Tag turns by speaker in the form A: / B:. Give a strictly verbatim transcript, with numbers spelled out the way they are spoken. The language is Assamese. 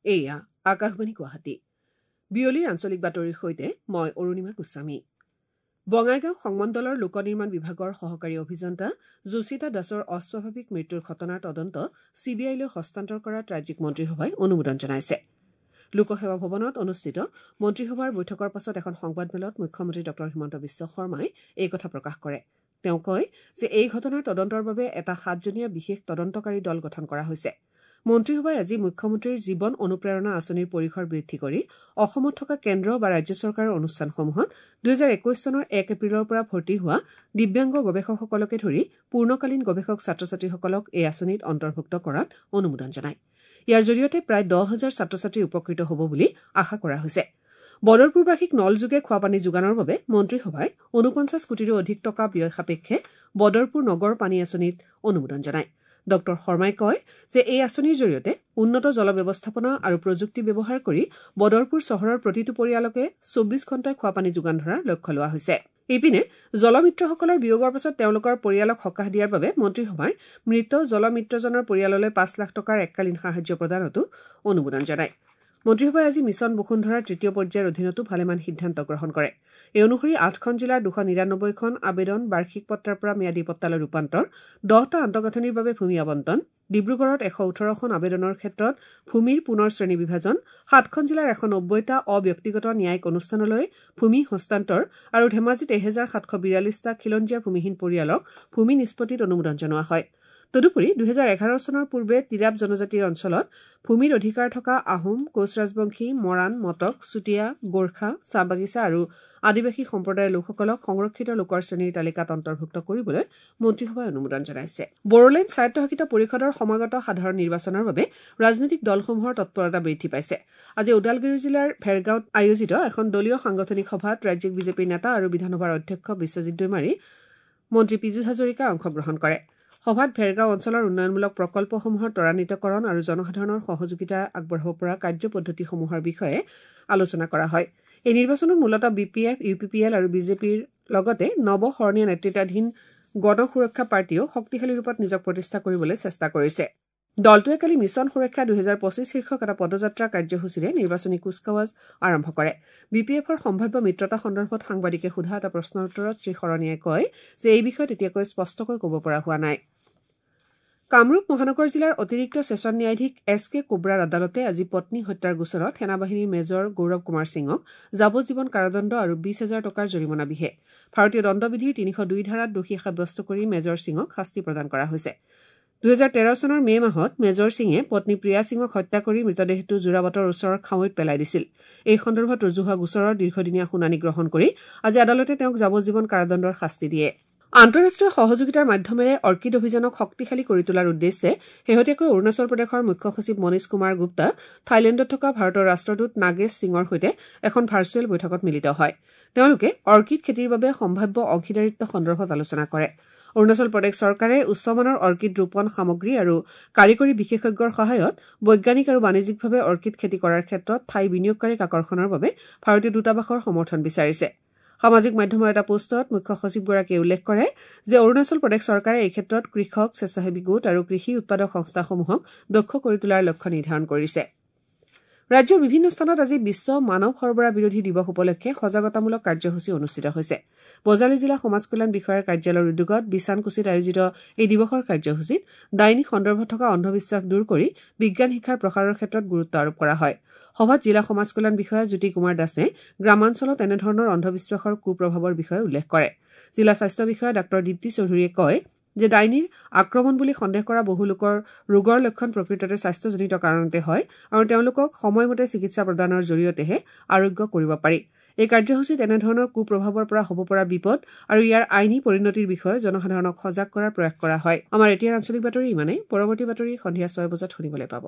A: এয়া আকাশবাণী গুৱাহাটী। বিয়লিৰ আঞ্চলিক বাতৰিৰ সৈতে মই অৰুণিমা গোস্বামী। বঙাইগাঁও সংমণ্ডলৰ লোক নিৰ্মাণ বিভাগৰ সহকাৰী অভিযন্তা যোশিতা দাসৰ অস্বাভাৱিক মৃত্যুৰ ঘটনাৰ তদন্ত চি বি আইলৈ হস্তান্তৰ কৰাত ৰাজ্যিক মন্ত্ৰীসভাই অনুমোদন জনাইছে। লোকসেৱা ভৱনত অনুষ্ঠিত মন্ত্ৰীসভাৰ বৈঠকৰ পাছত এখন সংবাদমেলত মুখ্যমন্ত্ৰী ডঃ হিমন্ত বিশ্ব শৰ্মাই এই কথা প্ৰকাশ কৰে। তেওঁ কয় যে এই ঘটনাৰ তদন্তৰ বাবে এটা সাতজনীয়া বিশেষ তদন্তকাৰী দল গঠন কৰা হৈছে। মন্ত্ৰীসভাই আজি মুখ্যমন্ত্ৰীৰ জীৱন অনুপ্ৰেৰণা আঁচনিৰ পৰিসৰ বৃদ্ধি কৰি অসমত থকা কেন্দ্ৰ বা ৰাজ্য চৰকাৰৰ অনুষ্ঠানসমূহত দুহেজাৰ একৈশ চনৰ এক এপ্ৰিলৰ পৰা ভৰ্তি হোৱা দিব্যাংগ গৱেষকসকলকে ধৰি পূৰ্ণকালীন গৱেষক ছাত্ৰ ছাত্ৰীসকলক এই আঁচনিত অন্তৰ্ভুক্ত কৰাত অনুমোদন জনায়। ইয়াৰ জৰিয়তে প্ৰায় দহ হাজাৰ ছাত্ৰ ছাত্ৰী উপকৃত হ'ব বুলি আশা কৰা হৈছে। বদৰপুৰবাসীক নলযোগে খোৱাপানী যোগানৰ বাবে মন্ত্ৰীসভাই ঊনপঞ্চাছ কোটিৰো অধিক টকা ব্যয় সাপেক্ষে বদৰপুৰ নগৰ পানী আঁচনিত অনুমোদন জনায়। ডঃ শৰ্মাই কয় যে এই আঁচনিৰ জৰিয়তে উন্নত জল ব্যৱস্থাপনা আৰু প্ৰযুক্তি ব্যৱহাৰ কৰি বদৰপুৰ চহৰৰ প্ৰতিটো পৰিয়ালকে চৌব্বিছ ঘণ্টাই খোৱাপানী যোগান ধৰাৰ লক্ষ্য লোৱা হৈছে। ইপিনে জলমিত্ৰসকলৰ বিয়োগৰ পাছত তেওঁলোকৰ পৰিয়ালক সকাহ দিয়াৰ বাবে মন্ত্ৰীসভাই মৃত জলমিত্ৰজনৰ পৰিয়াললৈ পাঁচ লাখ টকাৰ এককালীন সাহায্য প্ৰদানতো অনুমোদন জনায়। মন্ত্ৰীসভাই আজি মিছন বসুন্ধৰাৰ তৃতীয় পৰ্যায়ৰ অধীনতো ভালেমান সিদ্ধান্ত গ্ৰহণ কৰে। এই অনুসৰি আঠখন জিলাৰ দুশ নিৰানব্বৈখন আবেদন বাৰ্ষিক পট্টাৰ পৰা ম্যাদী পট্টালৈ ৰূপান্তৰ, দহটা আন্তঃগাঁথনিৰ বাবে ভূমি আবণ্টন, ডিব্ৰুগড়ত এশ ওঠৰখন আবেদনৰ ক্ষেত্ৰত ভূমিৰ পুনৰ শ্ৰেণী বিভাজন, সাতখন জিলাৰ এশ নব্বৈটা অব্যক্তিগত ন্যায়িক অনুষ্ঠানলৈ ভূমি হস্তান্তৰ আৰু ধেমাজিত এহেজাৰ সাতশ বিৰাল্লিছটা খিলঞ্জীয়া ভূমিহীন পৰিয়ালক ভূমি নিষ্পত্তিত অনুমোদন জনোৱা হয়। তদুপৰি দুহেজাৰ এঘাৰ চনৰ পূৰ্বে তিৰাপ জনজাতিৰ অঞ্চলত ভূমিৰ অধিকাৰ থকা আহোম, কোচ ৰাজবংশী, মৰাণ, মটক, চুতীয়া, গোৰ্খা, চাহ বাগিচা আৰু আদিবাসী সম্প্ৰদায়ৰ লোকসকলক সংৰক্ষিত লোকৰ শ্ৰেণীৰ তালিকাত অন্তৰ্ভুক্ত কৰিবলৈ মন্ত্ৰীসভাই অনুমোদন জনাইছে। বড়োলেণ্ড স্বায়ত্তশাসিত পৰিষদৰ সমাগত সাধাৰণ নিৰ্বাচনৰ বাবে ৰাজনৈতিক দলসমূহৰ তৎপৰতা বৃদ্ধি পাইছে। আজি ওদালগুৰি জিলাৰ ভেৰগাঁৱত আয়োজিত এখন দলীয় সাংগঠনিক সভাত ৰাজ্যিক বিজেপিৰ নেতা আৰু বিধানসভাৰ অধ্যক্ষ বিশ্বজিৎ দৈমাৰী, মন্ত্ৰী পীযুষ হাজৰিকাই অংশগ্ৰহণ কৰে। সভাত ভেৰগাঁও অঞ্চলৰ উন্নয়নমূলক প্ৰকল্পসমূহৰ ত্বৰান্বিতকৰণ আৰু জনসাধাৰণৰ সহযোগিতা আগবঢ়াব পৰা কাৰ্যপদ্ধতিসমূহৰ বিষয়ে আলোচনা কৰা হয়। এই নিৰ্বাচনত মূলতঃ B P F, U P P L আৰু বিজেপিৰ লগতে নৱ শৰণীয়া নেতৃত্বাধীন গণ সুৰক্ষা পাৰ্টীয়েও শক্তিশালী ৰূপত নিজক প্ৰতিষ্ঠা কৰিবলৈ চেষ্টা কৰিছে। দলটোৱে কালি মিছন সুৰক্ষা দুহেজাৰ পঁচিছ শীৰ্ষক এটা পদযাত্ৰা কাৰ্যসূচীৰে নিৰ্বাচনী কুচকাৱাজ আৰম্ভ কৰে। বি পি এফৰ সম্ভাৱ্য মিত্ৰতা সন্দৰ্ভত সাংবাদিকে সোধা এটা প্ৰশ্নৰ উত্তৰত শ্ৰীশৰণীয়াই কয় যে এই বিষয়ত এতিয়াকৈ স্পষ্টকৈ ক'ব পৰা হোৱা নাই। কামৰূপ মহানগৰ জিলাৰ অতিৰিক্ত ছেছন ন্যায়াধীশ এছ কে কোব্ৰাৰ আদালতে আজি পত্নী হত্যাৰ গোচৰত সেনাবাহিনীৰ মেজৰ গৌৰৱ কুমাৰ সিঙক যাৱজ্জীৱন কাৰাদণ্ড আৰু বিছ হাজাৰ টকাৰ জৰিমনা বিহে। ভাৰতীয় দণ্ডবিধিৰ তিনিশ দুই ধাৰাত দোষী সাব্যস্ত কৰি মেজৰ সিঙক শাস্তি প্ৰদান কৰা হৈছে। দুহেজাৰ তেৰ চনৰ মে মাহত মেজৰ সিঙে পত্নী প্ৰিয়া সিঙক হত্যা কৰি মৃতদেহটো যোৰাবাটৰ ওচৰৰ খাৱৈত পেলাই দিছিল। এই সন্দৰ্ভত ৰুজু হোৱা গোচৰৰ দীৰ্ঘদিনীয়া শুনানি গ্ৰহণ কৰি আজি আদালতে তেওঁক যাৱজ্জীৱন কাৰাদণ্ডৰ শাস্তি দিয়ে। আন্তঃৰাষ্ট্ৰীয় সহযোগিতাৰ মাধ্যমেৰে অৰ্কিড অভিযানক শক্তিশালী কৰি তোলাৰ উদ্দেশ্যে শেহতীয়াকৈ অৰুণাচল প্ৰদেশৰ মুখ্য সচিব মনীষ কুমাৰ গুপ্তা থাইলেণ্ডত থকা ভাৰতৰ ৰাষ্ট্ৰদূত নাগেশ সিঙৰ সৈতে এখন ভাৰ্চুৱেল বৈঠকত মিলিত হয়। তেওঁলোকে অৰ্কিড খেতিৰ বাবে সম্ভাৱ্য অংশীদাৰিত্ব সন্দৰ্ভত আলোচনা কৰে। অৰুণাচল প্ৰদেশ চৰকাৰে উচ্চমানৰ অৰ্কিড ৰোপণ সামগ্ৰী আৰু কাৰিকৰী বিশেষজ্ঞৰ সহায়ত বৈজ্ঞানিক আৰু বাণিজ্যিকভাৱে অৰ্কিড খেতি কৰাৰ ক্ষেত্ৰত থাই বিনিয়োগকাৰীক আকৰ্ষণৰ বাবে ভাৰতীয় দূতাবাসৰ সমৰ্থন বিচাৰিছে। সামাজিক মাধ্যমৰ এটা পোষ্টত মুখ্য সচিবগৰাকীয়ে উল্লেখ কৰে যে অৰুণাচল প্ৰদেশ চৰকাৰে এই ক্ষেত্ৰত কৃষক, স্বেচ্ছাসেৱী গোট আৰু কৃষি উৎপাদক সংস্থাসমূহক দক্ষ কৰি তোলাৰ লক্ষ্য নিৰ্ধাৰণ কৰিছে। ৰাজ্যৰ বিভিন্ন স্থানত আজি বিশ্ব মানৱ সৰবৰাহ বিৰোধী দিৱস উপলক্ষে সজাগতামূলক কাৰ্যসূচী অনুষ্ঠিত হৈছে। বজালী জিলা সমাজ কল্যাণ বিষয়াৰ কাৰ্যালয়ৰ উদ্যোগত বিচানকুছিত আয়োজিত এই দিৱসৰ কাৰ্যসূচীত ডাইনী সন্দৰ্ভত থকা অন্ধবিশ্বাস দূৰ কৰি বিজ্ঞান শিক্ষাৰ প্ৰসাৰৰ ক্ষেত্ৰত গুৰুত্ব আৰোপ কৰা হয়। সভাত জিলা সমাজ কল্যাণ বিষয়া জ্যোতি কুমাৰ দাসে গ্ৰামাঞ্চলত এনেধৰণৰ অন্ধবিশ্বাসৰ কুপ্ৰভাৱৰ বিষয়ে উল্লেখ কৰে। জিলা স্বাস্থ্য বিষয়া ডাঃ দীপ্তি চৌধুৰীয়ে কয় যে ডাইনীৰ আক্ৰমণ বুলি সন্দেহ কৰা বহু লোকৰ ৰোগৰ লক্ষণ প্ৰকৃততে স্বাস্থ্যজনিত কাৰণতে হয় আৰু তেওঁলোকক সময়মতে চিকিৎসা প্ৰদানৰ জৰিয়তেহে আৰোগ্য কৰিব পাৰি। এই কাৰ্যসূচীত এনেধৰণৰ কুপ্ৰভাৱৰ পৰা হ'ব পৰা বিপদ আৰু ইয়াৰ আইনী পৰিণতিৰ বিষয়ে জনসাধাৰণক সজাগ কৰাৰ প্ৰয়াস কৰা হয়। আমাৰ এতিয়াৰ আঞ্চলিক বাতৰি ইমানেই। পৰৱৰ্তী বাতৰি সন্ধিয়া ছয় বজাত শুনিবলৈ পাব।